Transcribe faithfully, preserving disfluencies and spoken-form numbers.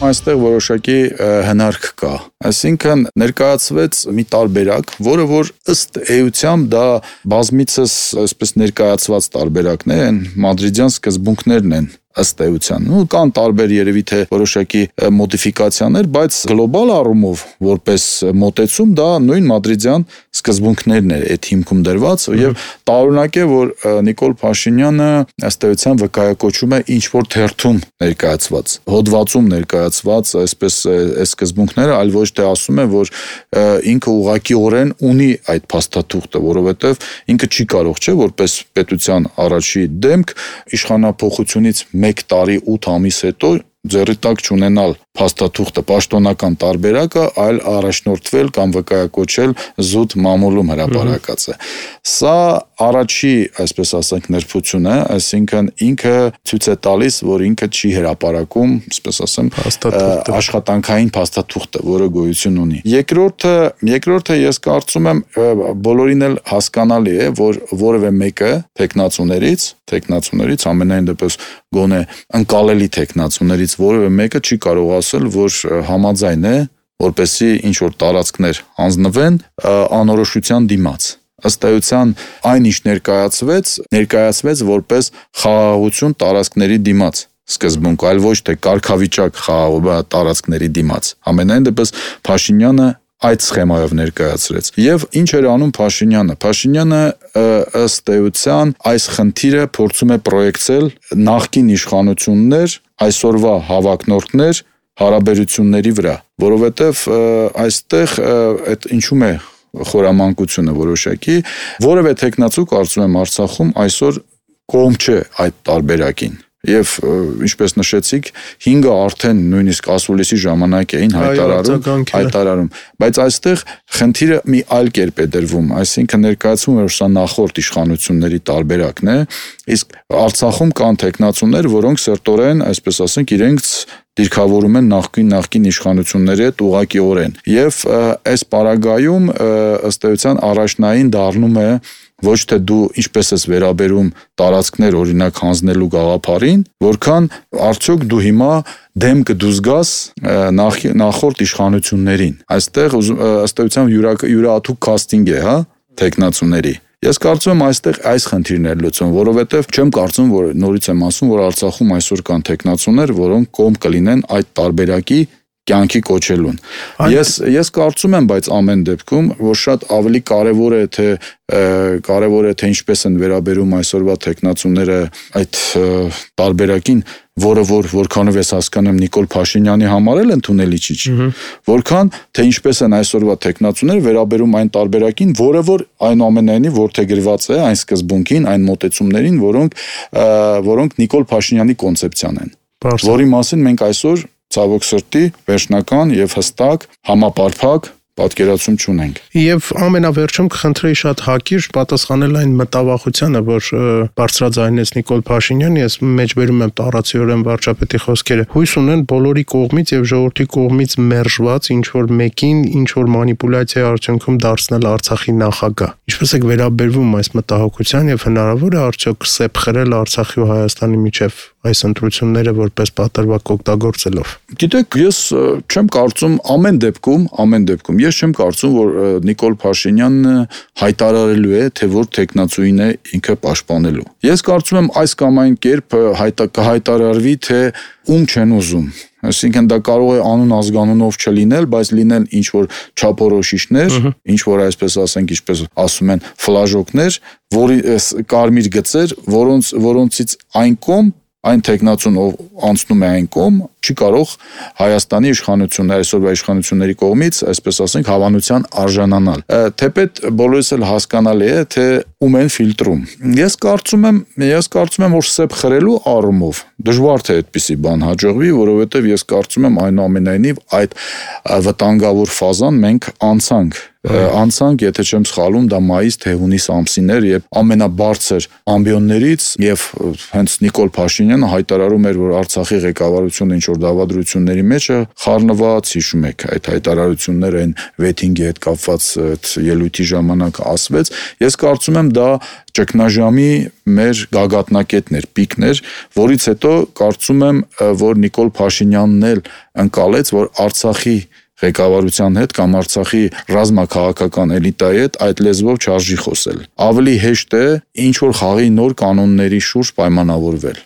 Այստեղ որոշակի հնարք կա։ Այսինքն ներկայացվեց մի տարբերակ, որը որ ըստ էության դա բազմիցս այսպես ներկայացված տարբերակներ են, մադրիդյան սկզբունքներն են ըստ էության։ Ու կան տարբեր երևի թե որոշակի մոդիֆիկացիաներ, բայց գլոբալ առումով որպես մոտեցում դա նույն մադրիդյան սկզբունքներն է այդ հիմքում դրված եւ տարօրինակ է, որ Նիկոլ Փաշինյանը ըստ էության վկայակոչում է ինչ որ թերթում ներկայացված, հոդվածում ներկայացված այսպես այս սկզբունքները, այլ ոչ թե ասում է, որ ինքը ուղղակիորեն ունի այդ փաստաթուղթը, որովհետեւ ինքը չի կարող, չէ, որպես պետության առաջի դեմք իշխանապողությունից մեկ տարի ութ ամիս հետո ձեռի տակ չունենալ փաստաթուղթը, պաշտոնական տարբերակը, այլ առաջնորդվել կամ վկայակոչել զուտ մամուլում հրապարակած է։ Սա առաջի, այսպես ասենք, նրբություն է, այսինքն ինքը ցույց է տալիս, որ ինքը չի հրապարակում, այսպես ասեմ, աշխատանքային փաստաթուղթը, որը գոյություն ունի։ Երկրորդը, երկրորդը ես կարծում եմ բոլորին էլ հասկանալի է, որ որևէ մեկը տեխնացուներից, տեխնացուներից ամենայն դեպս գոնե ընկալելի տեխնացուներից որևէ մեկը չի կարող ասել, որ համաձայն է, որպեսզի ինչ որ տարածքներ հանձնվեն անորոշության դիմաց։ Ըստ էության այն ինչ ներկայացվեց, ներկայացվեց որպես խաղաղություն տարածքների դիմաց սկզբունք, այլ ոչ թե կարգավիճակ խաղաղ տարածքների դիմաց։ Ամենայն դեպս Փաշինյանը այդ սխեմայով ներկայացրեց։ Եվ ինչ էր անում Փաշինյանը։ Փաշինյանը ըստ էության այս խնդիրը փորձում է պրոյեկցել նախկին իշխանություններ, այսօրվա հավակնորդներ հարաբերությունների վրա, որովհետև այստեղ այդ ինչու՞մ է խորամանկությունը որոշակի, որևէ տեխնացու կարծում եմ Արցախում այսօր կողմ չէ այդ տարբերակին։ Եվ ինչպես նշեցիք, հինգը արդեն նույնիսկ ասուլիսի ժամանակ էին հայտարարում, հայտարարում, բայց այստեղ խնդիրը մի այլ կերպ է դրվում, այսինքն ներկայացվում է, որ սա նախորդ իշխանությունների տարբերակն է, իսկ Արցախում կան տեխնացուներ, որոնք սերտորեն, այսպես ասենք, իրենց դիրքավորում են նախկին նախկին իշխանությունների հետ ուղղակիորեն։ Եվ այս պարագայում ըստ էության առաջնային դառնում է ոչ թե դու ինչպես ես վերաբերում տարածքներ օրինակ հանձնելու գաղափարին, որքան արդյոք դու հիմա դեմ կդուզգաս նախ, նախորդ իշխանություններին։ Այստեղ ըստ էության յուրահատուկ կաստինգ է, հա, տեխնացուների։ Ես կարծում եմ այստեղ այս խնդիրն է լուծում, որովհետև չեմ կարծում, որ նորից եմ ասում, որ Արցախում այսօր կան տեխնացուներ, որոնք կողմ կլինեն այդ տարբերակի կյանքի կոչելուն։ Ես ես կարծում եմ, բայց ամեն դեպքում, որ շատ ավելի կարևոր է թե կարևոր է թե ինչպես են վերաբերում այսօրվա տեխնացուները այդ տարբերակին, որը որ որքանով ես հասկանում Նիկոլ Փաշինյանի համար էլ ընդունելի չի, որքան թե ինչպես են այսօրվա տեխնացուները վերաբերում այն տարբերակին, որը որ այնուամենայնիվ որդեգրված է այն սկզբունքին, այն մոտեցումներին, որոնք որոնք Նիկոլ Փաշինյանի կոնցեպցիան են, որի մասին մենք այսօր ցավոք սրտի վերջնական եւ հստակ համապարփակ պատկերացում չունենք։ Եվ ամենավերջում կխնդրեի շատ հակիրճ պատասխանել այն մտավախությանը, որ բարձրաձայնեց Նիկոլ Փաշինյանը, ես մեջբերում եմ տարածիորեն վարչապետի խոսքերը, հույս ունեն բոլորի կողմից եւ ժողովրդի կողմից մերժված ինչ որ մեկին, ինչ որ մանիպուլյացիայի արդյունքում դարձնել Արցախի նախագահ։ Ինչպես եք վերաբերվում այս մտահոգության եւ հնարավոր է արդյոք սեպ խրել Արցախի ու Հայաստանի միջև այս ընտրությունները որպես պատրվակ օգտագործելով։ Գիտեք, ես չեմ կարծում ամեն դեպքում, ամեն դեպքում ես չեմ կարծում, որ Նիկոլ Փաշինյանը հայտարարելու է, թե որ տեխնացուին է ինքը պաշտպանելու։ Ես կարծում եմ այս կամ այն կերպ կհայտարարվի, թե ում չեն ուզում։ Այսինքն դա կարող է անուն ազգանունով չլինել, բայց լինեն ինչ որ չափորոշիչներ, ինչ որ այսպես ասենք, ինչպես ասում են, ֆլաժոկներ, որի կարմիր գծեր, որոնց որոնցից այն կողմ այն տեխնացուն ով անցնում է այն կողմ չի կարող Հայաստանի իշխանությունների այսօրվա իշխանությունների կողմից, այսպես ասենք, հավանության արժանանալ։ Թեպետ բոլորս էլ հասկանալի է, թե ում են ֆիլտրում։ Ես կարծում եմ, ես կարծում եմ, որ սեպ խրելու առումով դժվար թե այդպիսի բան հաջողվի, որովհետև ես կարծում եմ այնուամենայնիվ այդ վտանգավոր ֆազան մենք անցանք անցանք, եթե չեմ սխալվում, դա մայիս թե հունիս ամսին էր, երբ ամենաբարձր ամբիոններից եւ հենց Նիկոլ Փաշինյանը հայտարարում էր, որ Արցախի ղեկավարությունը ինչ որ դավադրությունների մեջ է խառնված, հիշում եք այդ հայտարարությունները այն վեթինգի հետ կապված այդ ելույթի ժամանակ ասվեց։ Ես կարծում եմ դա ճգնաժամի մեր գագաթնակետներ, պիկներ, որից հետո կարծում եմ, որ Նիկոլ Փաշինյանն էլ ընկալեց, որ Արցախի ղեկավարության հետ կամ Արցախի ռազմաքաղաքական էլիտայի հետ այդ լեզվով չարժի խոսել։ Ավելի հեշտ է ինչ որ խաղի նոր կանոնների շուրջ պայմանավորվել։